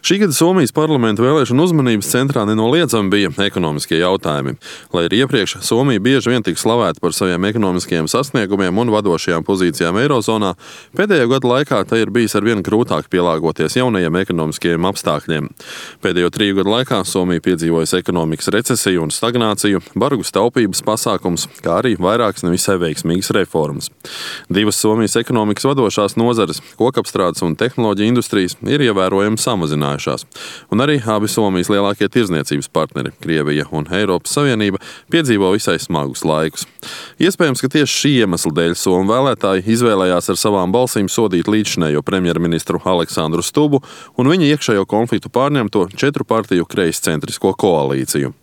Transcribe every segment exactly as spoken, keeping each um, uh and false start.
Šī gada Somijas parlamenta vēlēšanu uzmanības centrā nenoliedzami bija ekonomiskie jautājumi. Lai arī iepriekš Somija bieži vien tika slavēta par saviem ekonomiskajiem sasniegumiem un vadošajām pozīcijām Eirozonā, pēdējo gadu laikā tai ir bijis arvien grūtāk pielāgoties jaunajiem ekonomiskajiem apstākļiem. Pēdējo triju gadu laikā Somija piedzīvojusi ekonomikas recesiju un stagnāciju, bargus taupības pasākums, kā arī vairākas nevisai veiksmīgas reformas. Divas Somijas ekonomikas vadošās nozares, kokapstrādes un tehnoloģija industrijas, ir ievērojami samazinājušās. Un arī abi Somijas lielākie tirdzniecības partneri, Krievija un Eiropas Savienība, piedzīvo visai smagus laikus. Iespējams, ka tieši šī iemesla dēļ somu vēlētāji izvēlējās ar savām balsīm sodīt līdzšinējo premjerministru Aleksandru Stubu un viņa iekšējo konfliktu pārņemto četru partiju kreiscentrisko koalīciju.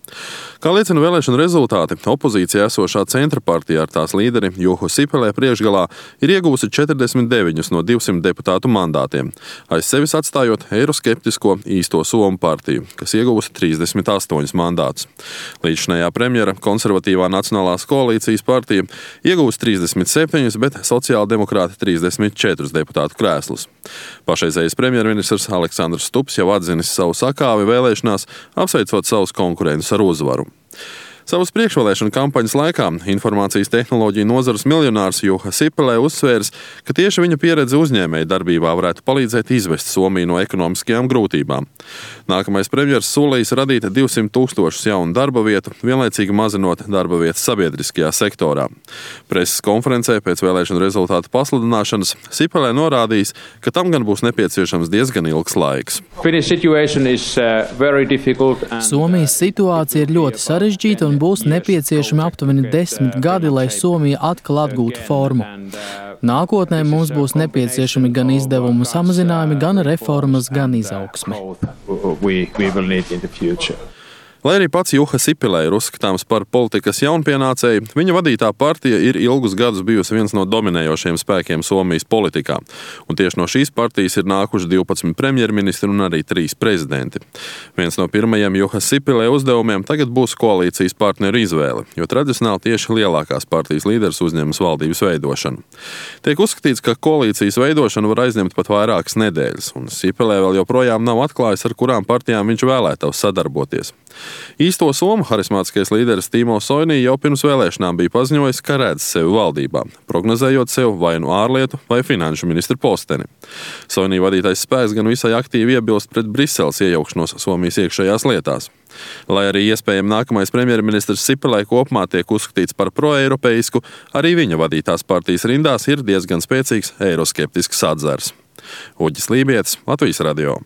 Kā liecina vēlēšanu rezultāti, opozīcijā esošā centra partija ar tās līderi Juhu Sipilē priekšgalā ir iegūsi četrdesmit deviņus no divsimt deputātu mandātiem, aiz sevis atstājot eiroskeptisko īsto Somu partiju, kas iegūsi trīsdesmit astoņus mandātus. Līdzšinējā premjera konservatīvā Nacionālās koalīcijas partija iegūsi trīsdesmit septiņus, bet sociāldemokrāti trīsdesmit četrus deputātu krēslus. Pašreizējais premjerministrs Aleksandrs Stubs jau atzinis savu sakāvi vēlēšanās, apsveicot savus konkurentus ar uzvaru. Savas priekšvēlēšana kampaņas laikā informācijas tehnoloģiju nozares miljonārs Juha Sipilē uzsvērs, ka tieši viņa pieredze uzņēmēju darbībā varētu palīdzēt izvest Somiju no ekonomiskajām grūtībām. Nākamais premjers solījis radīt divsimt tūkstošus jaunu darba vietu, vienlaicīgi mazinot darba vietas sabiedriskajā sektorā. Preses konferencē pēc vēlēšanu rezultātu pasludināšanas Sipilē norādījis, ka tam gan būs nepieciešams diezgan ilgs laiks. Somijas situācija ir ļoti sarežģīta un būs nepieciešami aptuveni desmit gadi, lai Somija atkal atgūtu formu. Nākotnē mums būs nepieciešami gan izdevumu samazinājumi, gan reformas, gan izaugsme. Lai arī pats Juha Sipilē ir uzskatāms par politikas jaunpienācēju, viņa vadītā partija ir ilgus gadus bijusi viens no dominējošiem spēkiem Somijas politikā. Un tieši no šīs partijas ir nākuši divpadsmit premjerministri un arī trīs prezidenti. Viens no pirmajiem Juha Sipilē uzdevumiem tagad būs koalīcijas partneru izvēle, jo tradicionāli tieši lielākās partijas līderis uzņemas valdības veidošanu. Tiek uzskatīts, ka koalīcijas veidošana var aizņemt pat vairākas nedēļas, un Sipilē vēl joprojām nav atklājis, ar kurām partijām viņš vēlētos sadarboties. Īsto somu harismātiskais līderis Timo Soini jau pirms vēlēšanām bija paziņojis, ka redz sevi valdībā, prognozējot sev vai nu ārlietu vai finanšu ministra posteni. Soini vadītais spēks gan visai aktīvi iebilst pret Briseles iejaukšanos Somijas iekšējās lietās. Lai arī iespējami nākamais premjerministrs Sipilē kopumā tiek uzskatīts par proeiropeisku, arī viņa vadītās partijas rindās ir diezgan spēcīgs eiroskeptisks atzars. Uģis Lībietis, Latvijas radio.